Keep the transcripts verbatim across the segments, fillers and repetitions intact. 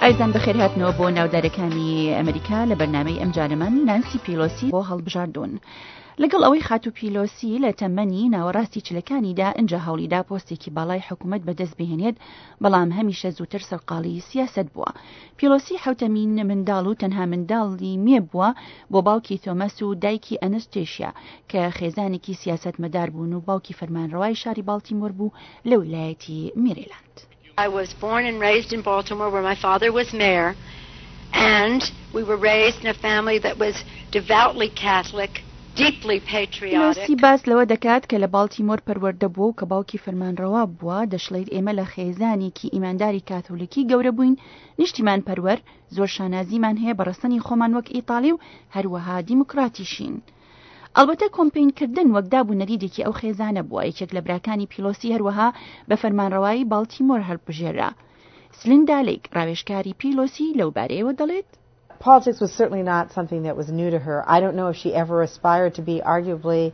ئایزان بەخێرهاتنەوە بۆ ناودارەکانی ئەمریکا. لە بەرنامەی ئەمجارەمان نانسی پیلۆسی بۆ هەڵبژاردوون. لەگەڵ ئەوەی خاتوو پیلۆسی لە تەمەنی ناوەڕاستی چلەکانیدا ئینجا هەوڵیدا پۆستێکی باڵای حکوومەت بەدەست بهێنێت، بەڵام هەمیشە زووتر سەرقاڵی سیاسەت بووە. پیلۆسی حوتەمین منداڵ و تەنها منداڵی مێ بووە بۆ باوکی تۆمەس و دایکی ئەنستێشیا کە خێزانێکی سیاسەتمەدار بوون و باوکی فەرمانڕەوای شاری باڵتیمۆر بوو لە ویلایەتی میریلاند. I was born and raised in Baltimore, where my father was mayor, and we were raised in a family that was devoutly Catholic, deeply patriotic. پیلۆسی باس لەوە دەکات کە لە باڵتیمۆر پەروەردە بووە و کە باوکی فەرمانڕەوا بووە. دەشڵێت ئێمە لە خێزانێکی ئیمانداری کاتۆلیکی گەورە بووین، نیشتیمان پەروەر، زۆر شانازیمان هەیە بە ڕەسەنی خۆمان وەک ئیتالی و هەروەها دیموکراتیشین. ئەلبەتە کۆمپین کردن وەک داب و نەریتێکی ئەو خێزانە بووە. یەکێک لە براکانی پیلۆسی هەروەها بە فەرمانڕەوایی باڵتیمۆر هەڵبژێرا. سلیندا لیک ڕاوێژکاری پیلۆسی لەو بارەیەوە دەڵێت: Politics was certainly not something that was new to her. I don't know if she ever aspired to be arguably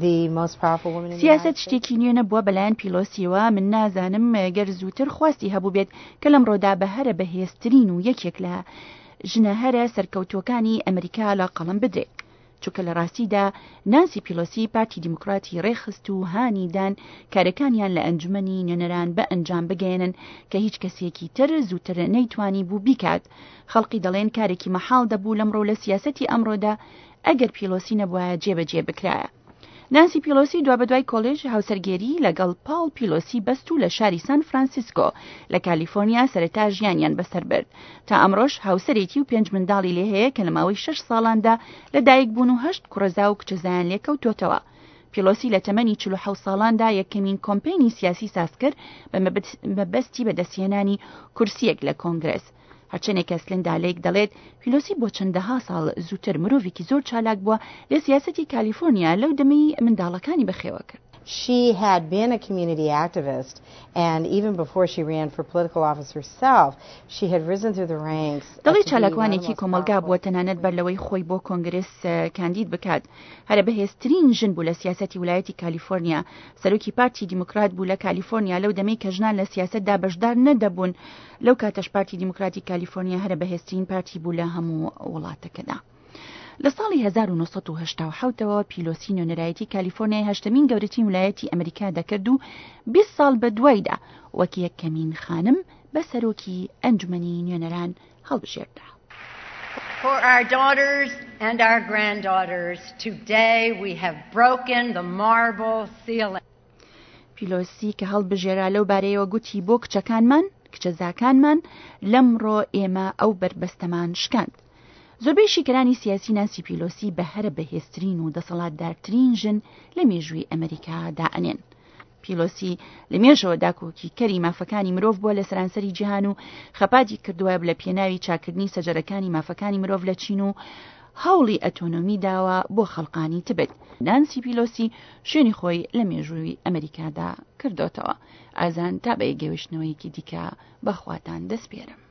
the most powerful woman in the سیاست United States. شتێکی نوێ نەبووە بەلایەن پیلۆسیەوە. من نازانم گەر زووتر خواستی هەبوو بێت کە لەمڕۆدا بە هەرە بەهێزترین و یەکێک لە ژنە هەرە سەرکەوتوەکانی ئەمریکا لە قەڵەم بدرێت، چونکە لە ڕاستیدا نانسی پیلۆسی پارتی دیموکراتی ڕێخست و هانی دان کارەکانیان لە ئەنجومەنی نوێنەران بە ئەنجام بگەێنن کە هیچ کەسێکی تر زووتر نەیتوانی بوو بیکات. خەڵقی دەڵێن کارێکی مەحاڵ دەبوو لەمڕۆ لە سیاسەتی ئەمڕۆدا ئەگەر پیلۆسی نەبوایە جێبەجێ بکرایە. نانسی پیلۆسی دوابەدوای کۆلێژ هاوسەرگێری لەگەڵ پاڵ پیلۆسی بەست و لە شاری سان فرانسیسکۆ لە کالیفۆرنیا سەرەتا ژیانیان بەسەر برد. تا ئەمڕۆش هاوسەرێتی و پێنج منداڵی لێ هەیە کە لە ماوەی شەش ساڵاندا لە دایک بوون و هەشت کوڕەزا و کچەزایان لێکەوتۆتەوە. پیلۆسی لە تەمەنی چل و حەوت ساڵاندا یەکەمین کۆمپەینی سیاسی ساز کرد بە مەبەستی بەدەستهێنانی کورسیەک لە کۆنگرس. هەرچەندێک سلندا لێک دەڵێت پیلۆسی بۆ چەندەها ساڵ زووتر مرۆڤێکی زۆر چالاک بووە لە سیاسەتی کالیفۆرنیا لەو دەمەی منداڵەکانی بەخێوە کرد. She had been a community activist, and even before she ran for political office herself, she had risen through the ranks. دەڵێ چالاکوانێکی کۆمەلگا بووە، تەنانەت بەر لەوەی خۆی بۆ کۆنگرس کاندید بکات هەرە بەهێزترین ژن بوو لە سیاسەتی ویلایەتی کالیفۆرنیا. سەرۆکی پارتی دیموکرات بوو لە کالیفۆرنیا لەو دەمەی کە ژنان لە سیاسەتدا بەشدار نەدەبوون. لەو کاتەش پارتی دیموکراتی کالیفۆرنیا هەرە بەهێزترین پارتی بوو لە هەموو وڵاتەکەدا. لە ساڵی هەزار و نۆ سەد و هەشتا و حەوت ەوە پیلۆسی نوێنەرایەتی کالیفۆرنیای هەشتەمین گەورەترین ویلایەتی ئەمریکا دەکرد و بیست ساڵ بە دوایدا وەک یەکەمین خانم بە سەرۆکی ئەنجومەنی نوێنەران هەڵبژێردرا. For our daughters and our granddaughters, today we have broken the marble ceiling. پیلۆسی کە هەڵبژێرا لەو بارەیەوە گوتی بۆ کچەکانمان، کچەزاکانمان، لەمڕۆ ئێمە ئەو بەربەستەمان شکاند. زۆربەی شیکەرانی سیاسی نانسی پیلۆسی بە هەرە بەهێزترین و دەسەڵاتدارترین ژن لە مێژووی ئەمریکا دائەنێن. پیلۆسی لە مێژەوە داکۆکی کەری مافەکانی مرۆڤ بووە لە سەرانسەری جیهان و خەباتی کردووە لە پێناوی چاکردنی سەجەرەکانی مافەکانی مرۆڤ لە چین و هەوڵی ئەتۆنۆمی داوە بۆ خەڵقانی تبت. نانسی پیلۆسی شوێنی خۆی لە مێژووی ئەمریکادا کردوتەوە. ئازان تا بە گەوشتنەوەیەکی دیکە بەخواتان دەسپێرم.